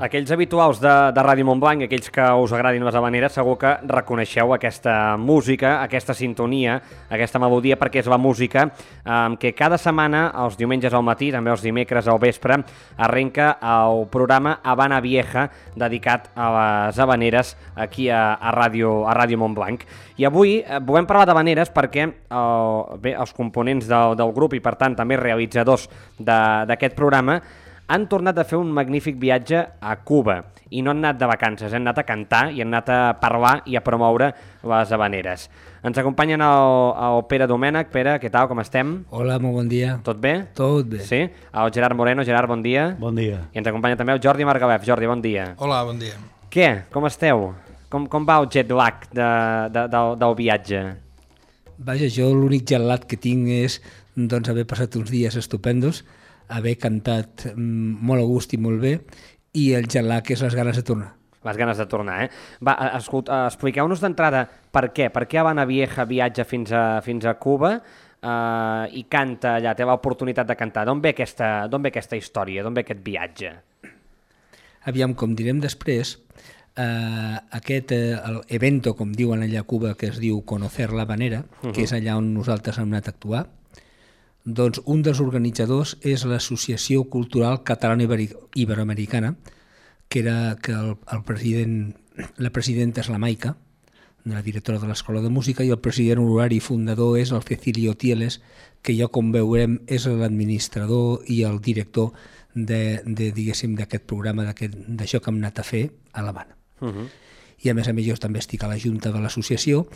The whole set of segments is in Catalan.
Aquells habituals de Ràdio Montblanc, aquells que us agradin les habaneres, segur que reconeixeu aquesta música, aquesta sintonia, aquesta melodia, perquè és la música que cada setmana, els diumenges al matí, també els dimecres al vespre, arrenca el programa Habana Vieja, dedicat a les habaneres aquí a Ràdio Montblanc. I avui volem parlar d'habaneres perquè els components del grup i, per tant, també realitzadors d'aquest programa han tornat a fer un magnífic viatge a Cuba i no han anat de vacances, han anat a cantar i han anat a parlar i a promoure les habaneres. Ens acompanyen el Pere Domènech. Pere, què tal, com estem? Hola, molt bon dia. Tot bé? Tot bé. Sí? El Gerard Moreno. Gerard, bon dia. Bon dia. I ens acompanya també el Jordi Margalef. Jordi, bon dia. Hola, bon dia. Què? Com esteu? Com va el jet lag del viatge? Vaja, jo l'únic jet lag que tinc és haver passat uns dies estupendos, haver cantat molt a gust i molt bé, i el jet lag és les ganes de tornar. Les ganes de tornar, eh? Va, expliqueu-nos d'entrada per què. Per què Habana Vieja viatja fins a Cuba i canta allà, té l'oportunitat de cantar. D'on ve aquesta història, d'on ve aquest viatge? Aviam, com direm després, aquest evento, com diuen allà a Cuba, que es diu Conocer la Habanera, que és allà on nosaltres hem anat a actuar, doncs un dels organitzadors és l'Associació Cultural Catalana Iberoamericana, que la presidenta és la Maica, la directora de l'Escola de Música, i el president honorari i fundador és el Cecilio Tieles, que ja, com veurem, és l'administrador i el director d'aquest programa, d'això que hem anat a fer a l'Havana. I a més jo també estic a la Junta de l'associació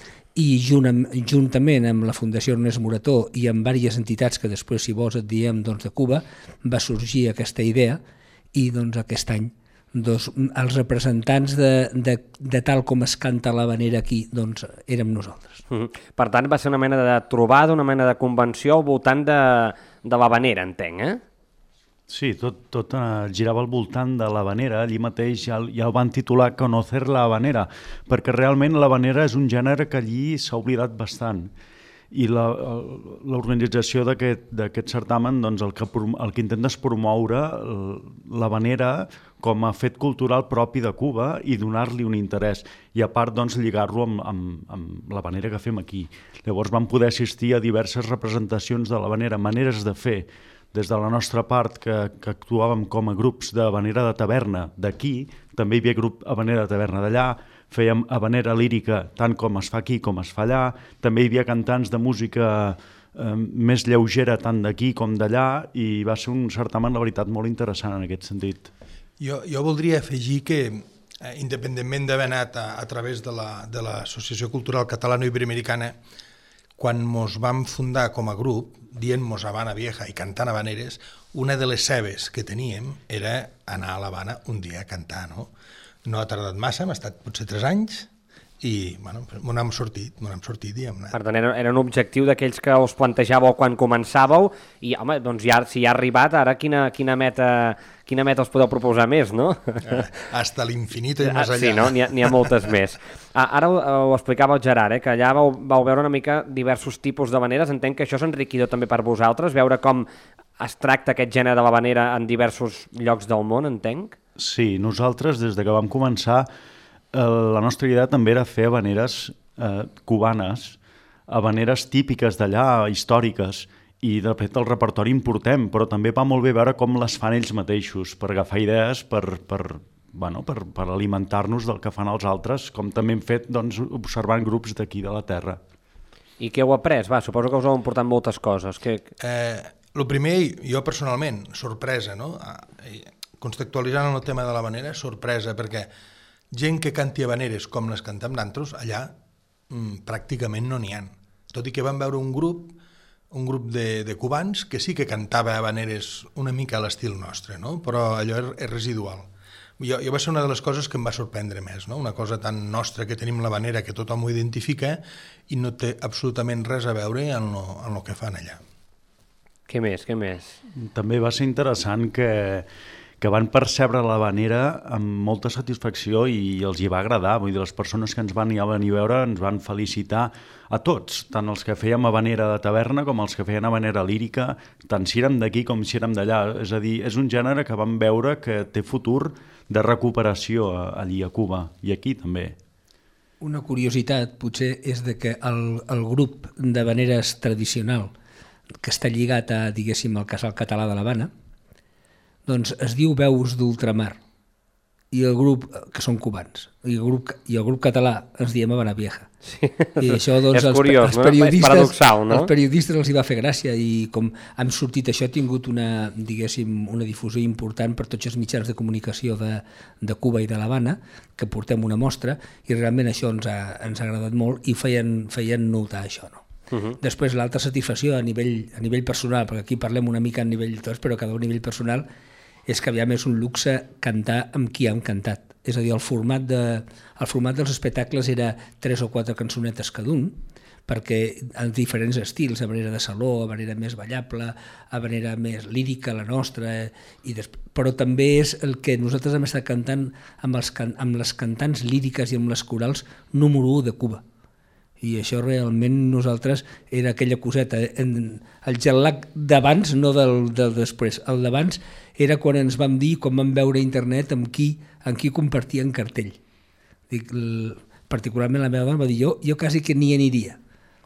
i juntament amb la Fundació Ernest Morató i amb diverses entitats que després, si vols, et diem de Cuba, va sorgir aquesta idea i aquest any els representants de tal com es canta l'habanera aquí érem nosaltres. Per tant, va ser una mena de trobada, una mena de convenció al voltant de l'habanera, entenc, eh? Sí, tot girava al voltant de l'habanera, allí mateix ja el van titular Conocer la Habanera, perquè realment l'habanera és un gènere que allí s'ha oblidat bastant. I l'organització d'aquest certamen el que intenta és promoure l'habanera com a fet cultural propi de Cuba i donar-li un interès, i a part lligar-lo amb l'habanera que fem aquí. Llavors vam poder assistir a diverses representacions de l'habanera, maneres de fer, des de la nostra part, que actuàvem com a grups d'habanera de taverna d'aquí, també hi havia grup habanera de taverna d'allà, fèiem habanera lírica tant com es fa aquí com es fa allà, també hi havia cantants de música més lleugera tant d'aquí com d'allà, i va ser un certamen, la veritat, molt interessant en aquest sentit. Jo voldria afegir que, independentment d'haver anat a través de l'Associació Cultural Catalano-Iberoamericana, quan ens vam fundar com a grup, dient-nos Habana Vieja i cantant habaneres, una de les cebes que teníem era anar a l'Havana un dia a cantar, no? No ha tardat massa, hem estat potser 3 anys, i m'ho n'hem sortit i hem anat. Per tant, era un objectiu d'aquells que us plantejàveu quan començàveu, i home, doncs ja, si ja ha arribat, ara quina meta us podeu proposar més, no? Hasta l'infinit i més allà. Sí, no? N'hi ha moltes més. Ara ho explicava el Gerard, que allà vau veure una mica diversos tipus d'habaneres. Entenc que això és enriquidor també per vosaltres, veure com es tracta aquest gènere de l'habanera en diversos llocs del món, entenc? Sí, nosaltres, des que vam començar, la nostra idea també era fer habaneres cubanes, habaneres típiques d'allà, històriques, i de fet el repertori importem, però també va molt bé veure com les fan ells mateixos, per agafar idees, per alimentar-nos del que fan els altres, com també hem fet observant grups d'aquí de la terra. I què heu après? Suposo que us heu emportat moltes coses. El primer, jo personalment, sorpresa, no? Contextualitzant el tema de l'habanera, sorpresa, perquè gent que canti habaneres com les cantem d'altres, allà pràcticament no n'hi ha. Tot i que vam veure un grup de cubans que sí que cantava habaneres una mica a l'estil nostre, no? Però allò és residual. Jo va ser una de les coses que em va sorprendre més, no? Una cosa tan nostra que tenim l'habanera que tothom ho identifica i no té absolutament res a veure en el que fan allà. Què més? També va ser interessant que que van percebre l'Havanera amb molta satisfacció i els hi va agradar. Vull dir, les persones que ens van venir a veure ens van felicitar a tots, tant els que fèiem havanera de taverna com els que feien havanera lírica, tant si érem d'aquí com si érem d'allà. És a dir, és un gènere que vam veure que té futur de recuperació allí a Cuba i aquí també. Una curiositat potser és de que el grup d'havaneres tradicional que està lligat a, diguéssim, al Casal Català de l'Havana, doncs es diu Veus d'Ultramar, i el grup, que són cubans, i el grup català ens diem Habana Vieja. Sí. I això, doncs, és curiós, els periodistes, és paradoxal, no? Els periodistes els hi va fer gràcia, i com han sortit això, ha tingut una, diguéssim, una difusió important per tots els mitjans de comunicació de Cuba i de l'Havana, que portem una mostra, i realment això ens ha agradat molt i feien notar això, no? Després l'altra satisfacció a nivell personal, perquè aquí parlem una mica a nivell de tots, però cada un a nivell personal, és que aviam és un luxe cantar amb qui hem cantat. És a dir, el format dels espectacles era 3 o 4 cançonetes cada un, perquè en diferents estils, a manera de saló, a manera més ballable, a manera més lírica, la nostra, però també és el que nosaltres hem estat cantant amb les cantants líriques i amb les corals número 1 de Cuba. I això realment nosaltres era aquella coseta, el jet lag d'abans, no del després. El d'abans era quan ens vam dir, quan vam veure a internet amb qui compartien cartell. Particularment la meva dona va dir, jo quasi que n'hi aniria.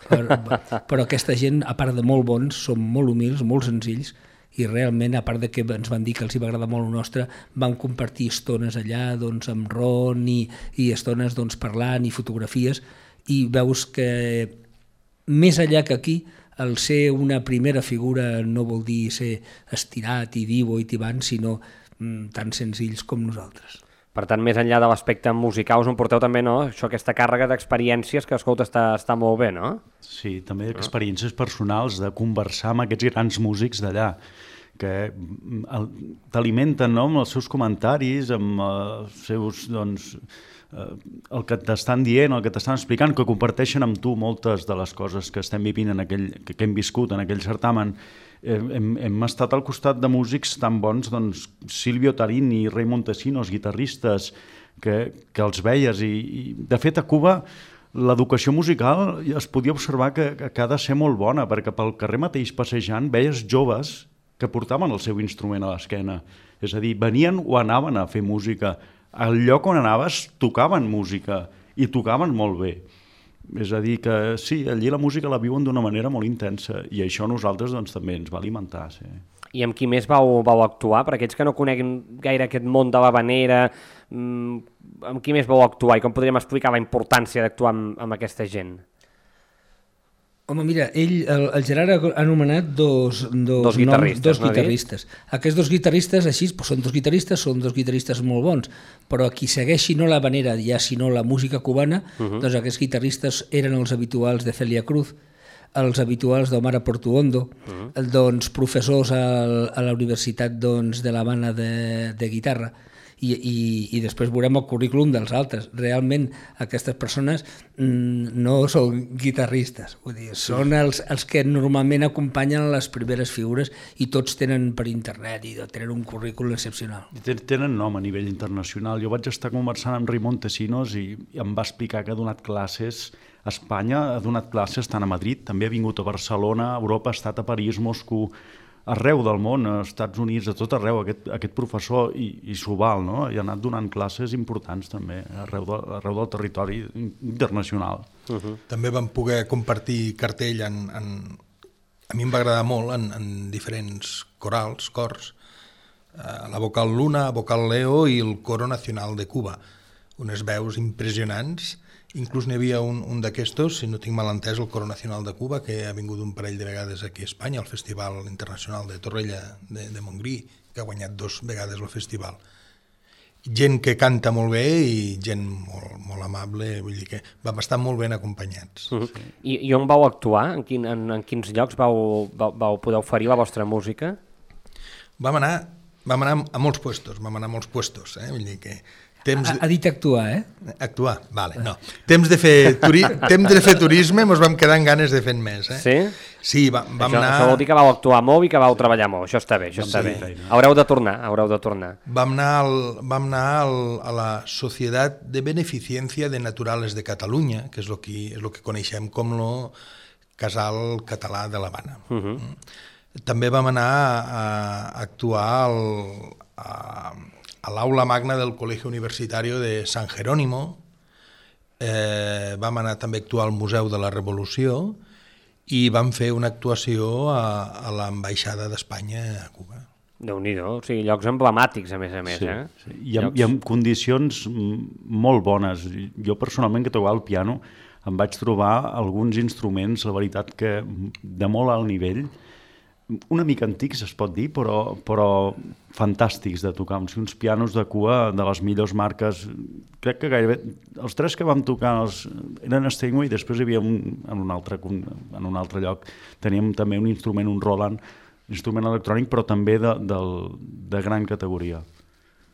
Però aquesta gent, a part de molt bons, són molt humils, molt senzills, i realment, a part de que ens van dir que els va agradar molt el nostre, vam compartir estones allà amb ron i estones parlant i fotografies, i veus que més enllà que aquí el ser una primera figura no vol dir ser estirat i divo i tibant, sinó tan senzills com nosaltres. Per tant, més enllà de l'aspecte musical, us en porteu també, no? Això, aquesta càrrega d'experiències que, escolta, està molt bé, no? Sí, també experiències personals de conversar amb aquests grans músics d'allà, que t'alimenten, no?, amb els seus comentaris, amb els seus, el que t'estan dient, el que t'estan explicant, que comparteixen amb tu moltes de les coses que estem vivint que hem viscut en aquell certamen. Hem estat al costat de músics tan bons, Silvio Tarini, Ray Montesinos, guitarristes, que els veies. I de fet, a Cuba, l'educació musical es podia observar que ha de ser molt bona, perquè pel carrer mateix passejant veies joves que portaven el seu instrument a l'esquena. És a dir, venien o anaven a fer música. Al lloc on anaves tocaven música i tocaven molt bé. És a dir que sí, allí la música la viuen d'una manera molt intensa i això a nosaltres també ens va alimentar. Sí. I amb qui més vau actuar? Per aquells que no coneguin gaire aquest món de l'havanera, amb qui més vau actuar i com podríem explicar la importància d'actuar amb aquesta gent? Home, mira, el Gerard ha anomenat dos guitarristes. Aquests dos guitarristes, així, són dos guitarristes molt bons, però qui segueixi no l'havanera, ja sinó la música cubana, doncs aquests guitarristes eren els habituals de Celia Cruz, els habituals d'Omar Portuondo, doncs professors a la Universitat de l'Havana de guitarra, i després veurem el currículum dels altres. Realment aquestes persones no són guitarristes, vull dir, són els que normalment acompanyen les primeres figures i tots tenen per internet i tenen un currículum excepcional. Tenen nom a nivell internacional. Jo vaig estar conversant amb Ray Montesinos i em va explicar que ha donat classes a Espanya, ha donat classes tant a Madrid, també ha vingut a Barcelona, a Europa, ha estat a París, Moscou, arreu del món, als Estats Units, a tot arreu, aquest professor, i s'ho val, no? I ha anat donant classes importants també, arreu del territori internacional. També vam poder compartir cartell a mi em va agradar molt en diferents cors, la Vocal Luna, Vocal Leo i el Coro Nacional de Cuba, unes veus impressionants. Inclús n'hi havia un d'aquestos, si no tinc mal entès, el Coro Nacional de Cuba, que ha vingut un parell de vegades aquí a Espanya, al Festival Internacional de Torrella de Montgrí, que ha guanyat 2 vegades el festival. Gent que canta molt bé i gent molt amable, vull dir que vam estar molt ben acompanyats. Sí. I on vau actuar? En quins llocs vau poder oferir la vostra música? Vam anar a molts puestos, vull dir que Ha dit actuar, Actuar, vale, no. Temps de fer turisme, mos vam quedar amb ganes de fer més, Sí? Sí, vam anar... Això vol dir que vau actuar molt i que vau treballar molt, això està bé, bé. Haureu de tornar. Vam anar a la Societat de Beneficiencia de Naturales de Catalunya, que és el que coneixem com el Casal Català de l'Havana. També vam anar a actuar a l'aula magna del Colegio Universitario de San Jerónimo, vam anar també a actuar al Museu de la Revolució i vam fer una actuació a l'ambaixada d'Espanya a Cuba. Déu-n'hi-do, o sigui, llocs emblemàtics, a més, sí. Sí. I amb condicions molt bones. Jo personalment, que tocava el piano, em vaig trobar alguns instruments, la veritat, que de molt alt nivell, una mica antics es pot dir, però fantàstics de tocar, uns pianos de cua de les millors marques. Crec que gairebé els tres que vam tocar eren Steinway, i després hi havia en un altre lloc teníem també un instrument, un Roland, instrument electrònic, però també de gran categoria.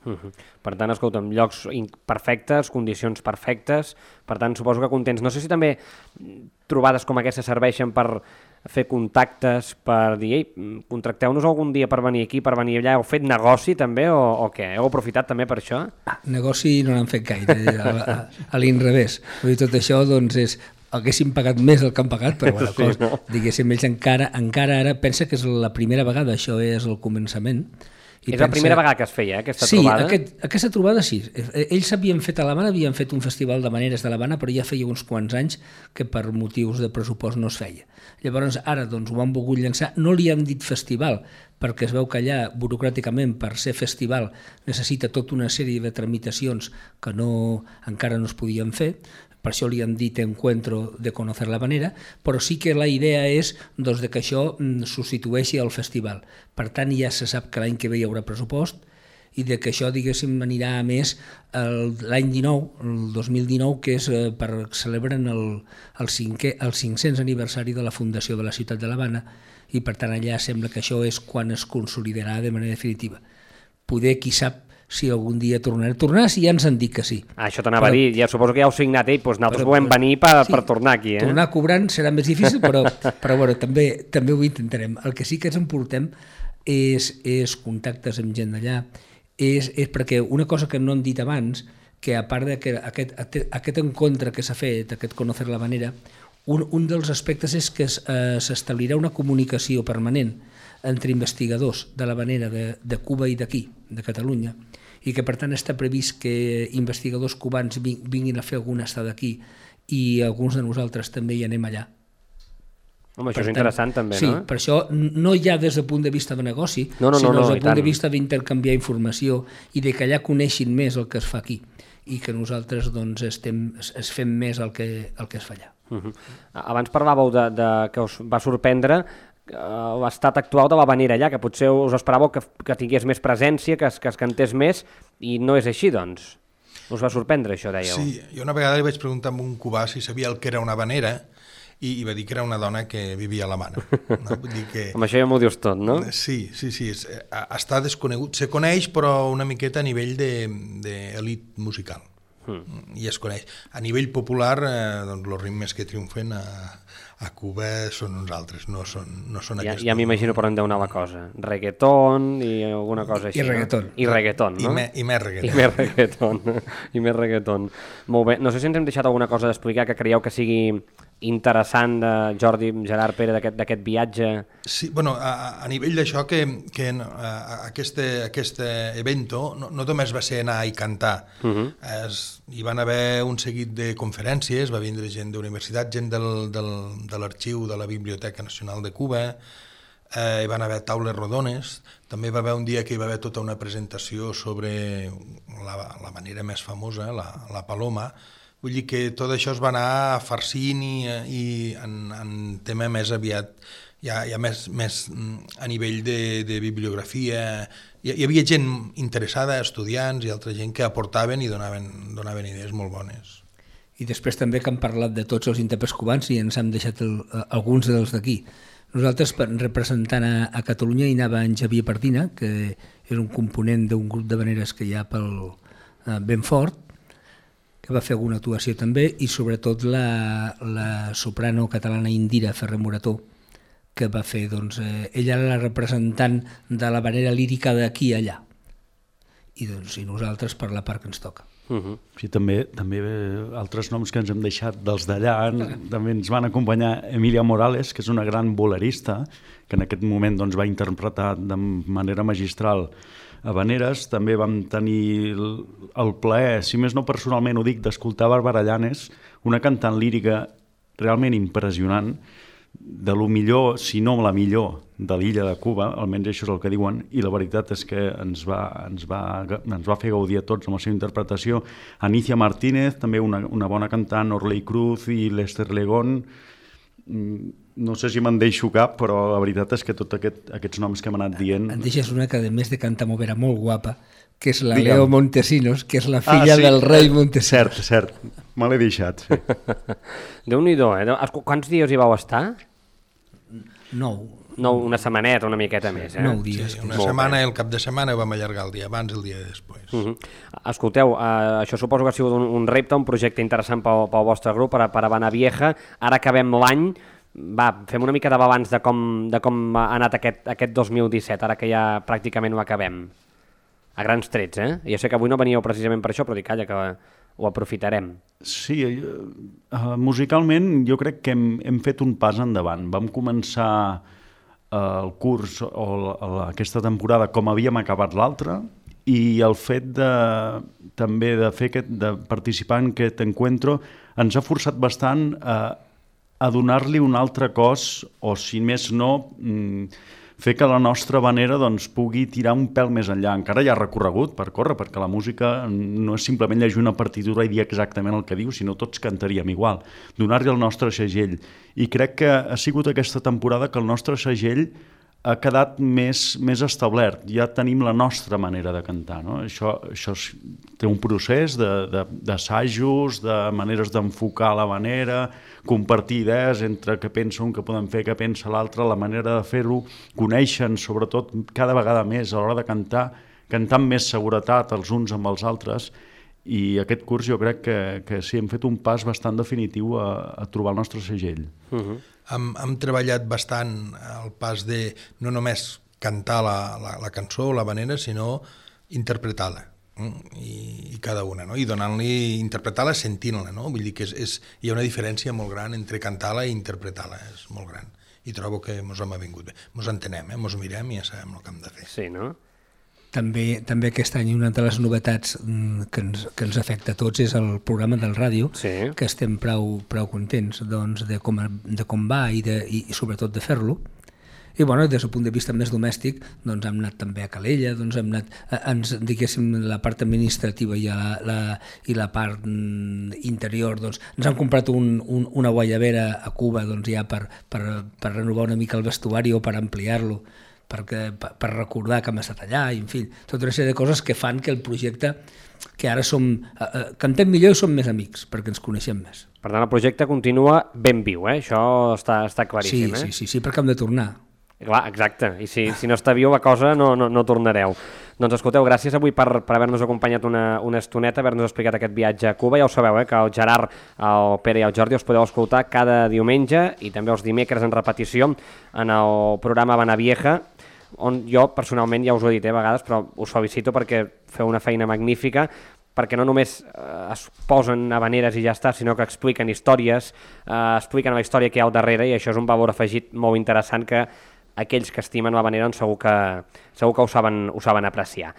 Per tant, escolta'm, llocs perfectes, condicions perfectes, per tant, suposo que contents. No sé si també trobades com aquestes serveixen per fer contactes, per dir, ei, contracteu-nos algun dia per venir aquí, per venir allà. Heu fet negoci també o què? Heu aprofitat també per això? Negoci no n'han fet gaire, a l'inrevés. Tot això, doncs, haguéssim pagat més del que han pagat, però bueno, sí, no? Diguéssim, ells encara ara pensa que és la primera vegada, això és el començament. És la primera vegada que es feia, aquesta trobada? Sí, aquesta trobada sí. Ells havien fet a l'Havana, havien fet un festival d'havaneres de l'Havana, però ja feia uns quants anys que per motius de pressupost no es feia. Llavors ara doncs, ho han volgut llançar, no li han dit festival, perquè es veu que allà burocràticament per ser festival necessita tota una sèrie de tramitacions que encara no es podien fer. Per això li han dit Encuentro de Conocer la Habanera, però sí que la idea és doncs, que això substitueixi el festival. Per tant, ja se sap que l'any que ve hi haurà pressupost i de que això, diguéssim, anirà a més l'any 19, el 2019, que és per celebren el 500 aniversari de la fundació de la ciutat de l'Havana, i per tant allà sembla que això és quan es consolidarà de manera definitiva. Poder, qui sap, si algun dia tornar, si ja ens han dit que sí. Això t'anava a dir, ja suposo que ja heu signat, doncs nosaltres volem venir per tornar aquí. Tornar cobrant serà més difícil, però bueno, també ho intentarem. El que sí que ens emportem és contactes amb gent d'allà, és perquè una cosa que no han dit abans, que a part d'aquest encontre que s'ha fet, aquest Conocer la Habanera, un dels aspectes és que s'establirà una comunicació permanent entre investigadors de l'Habanera de Cuba i d'aquí, de Catalunya, i que per tant està previst que investigadors cubans vinguin a fer alguna estada aquí i alguns de nosaltres també hi anem allà. Home, això és interessant també, no? Sí, per això no ja des del punt de vista de negoci, sinó des del punt de vista d'intercanviar informació i de que allà coneixin més el que es fa aquí i que nosaltres doncs, es fem més el que es fa allà. Abans parlàveu que us va sorprendre l'estat actual de l'Habanera allà, que potser us esperàveu que tingués més presència, que es cantés més, i no és així, doncs. Us va sorprendre això, dèieu? Sí, jo una vegada li vaig preguntar a un cubà si sabia el que era una habanera i va dir que era una dona que vivia a l'Havana. No? Vull dir que... Amb això ja m'ho dius tot, no? Sí, està desconegut. Se coneix, però una miqueta a nivell d'elit musical. I es coneix. A nivell popular, doncs, els ritmes que triomfen a Cuba són uns altres, no són aquests. Ja m'imagino per on deu anar la cosa. Reggaeton i alguna cosa així. I reggaeton. I reggaeton, no? I més reggaeton. I més reggaeton. Molt bé. No sé si ens hem deixat alguna cosa d'explicar que creieu que sigui interessant de Jordi, Gerard, Pere, d'aquest viatge. Sí, bueno, a nivell d'això que aquest evento no només va ser anar i cantar, hi van haver un seguit de conferències, va vindre gent d'universitat, gent de l'arxiu de la Biblioteca Nacional de Cuba, hi van haver taules rodones, també va haver un dia que hi va haver tota una presentació sobre la manera més famosa, la Paloma. Vull dir que tot això es va anar farcint i en tema més aviat, ja més a nivell de bibliografia. Hi havia gent interessada, estudiants i altra gent que aportaven i donaven idees molt bones. I després també que han parlat de tots els intèrprets cubans i ens han deixat alguns dels d'aquí. Nosaltres, representant a Catalunya, hi anava en Xavier Pardina, que és un component d'un grup d'habaneres que hi ha ben fort, que va fer alguna actuació també, i sobretot la soprano catalana Indira Ferrer Morató, que va fer, doncs, ella era la representant de la manera lírica d'aquí i allà, i doncs, i nosaltres per la part que ens toca. Sí, també altres noms que ens hem deixat dels d'allà, també ens van acompanyar Emilia Morales, que és una gran bolerista, que en aquest moment doncs, va interpretar de manera magistral habaneres. També vam tenir el plaer, si més no personalment ho dic, d'escoltar Bàrbara Llanes, una cantant lírica realment impressionant, de lo millor, si no la millor, de l'illa de Cuba, almenys això és el que diuen, i la veritat és que ens va fer gaudir a tots amb la seva interpretació. Anicia Martínez, també una bona cantant, Orley Cruz i Lester Legón. No sé si me'n deixo cap, però la veritat és que tots aquests noms que hem anat dient... En deixes una que, a més de cantar molt bé, era molt guapa, que és la Leo Montesinos, que és la filla del rei Montesinos. Cert, me l'he deixat, sí. Déu-n'hi-do, eh? Quants dies hi vau estar? 9. Una setmaneta, una miqueta més, eh? 9 dies. Sí, una setmana, el cap de setmana ho vam allargar el dia abans i el dia després. Escolteu, això suposo que ha sigut un repte, un projecte interessant pel vostre grup, per a Habana Vieja. Ara acabem l'any. Va, fem una mica de balanç de com ha anat aquest 2017, ara que ja pràcticament ho acabem. A grans trets, eh? Jo sé que avui no veníeu precisament per això, però dic, calla, que ho aprofitarem. Sí, musicalment jo crec que hem fet un pas endavant. Vam començar el curs o aquesta temporada com havíem acabat l'altra, i el fet també de participar en aquest encuentro ens ha forçat bastant a donar-li un altre cos, o si més no, fer que la nostra vanera doncs, pugui tirar un pèl més enllà. Encara hi ha recorregut per córrer, perquè la música no és simplement llegir una partitura i dir exactament el que diu, sinó tots cantaríem igual. Donar-li el nostre segell. I crec que ha sigut aquesta temporada que el nostre segell ha quedat més establert. Ja tenim la nostra manera de cantar. No? Això té un procés d'assajos, de maneres d'enfocar la manera, compartir idees entre què pensa un, què podem fer, què pensa l'altre, la manera de fer-ho, coneixen sobretot cada vegada més a l'hora de cantar amb més seguretat els uns amb els altres, i aquest curs jo crec que sí, hem fet un pas bastant definitiu a trobar el nostre segell. Hem treballat bastant el pas de no només cantar la cançó o la vanera, sinó interpretar-la, i cada una, no? I donant-li, interpretar-la sentint-la, no? Vull dir que hi ha una diferència molt gran entre cantar-la i interpretar-la, és molt gran. I trobo que ens hem avingut bé. Ens entenem, ens mirem i ja sabem el que hem de fer. Sí, no? També aquest any una de les novetats que ens afecta a tots és el programa del ràdio, sí, que estem prou contents doncs, de com va i sobretot de fer-lo. I bueno, des del punt de vista més domèstic, doncs hem anat també a Calella, doncs hem anat, diguéssim, la part administrativa i la part interior, doncs ens han comprat una guaiavera a Cuba, doncs ja per renovar una mica el vestuari o per ampliar-lo, per recordar que hem estat allà, i en fi, tota una sèrie de coses que fan que el projecte, que ara cantem millor i som més amics, perquè ens coneixem més. Per tant, el projecte continua ben viu, eh? Això està claríssim, eh? Sí, perquè hem de tornar. Clar, exacte, i si no està viu la cosa no tornareu. Doncs escolteu, gràcies avui per haver-nos acompanyat una estoneta, haver-nos explicat aquest viatge a Cuba. Ja ho sabeu, que el Gerard, el Pere i el Jordi els podeu escoltar cada diumenge i també els dimecres en repetició en el programa Habana Vieja, on jo personalment, ja us ho he dit a vegades, però us felicito perquè feu una feina magnífica, perquè no només es posen habaneres i ja està, sinó que expliquen històries, expliquen la història que hi ha al darrere, i això és un valor afegit molt interessant que aquells que estimen l'habanera segur que ho saben apreciar.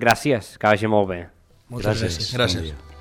Gràcies, que vagi molt bé. Moltes gràcies. Gràcies.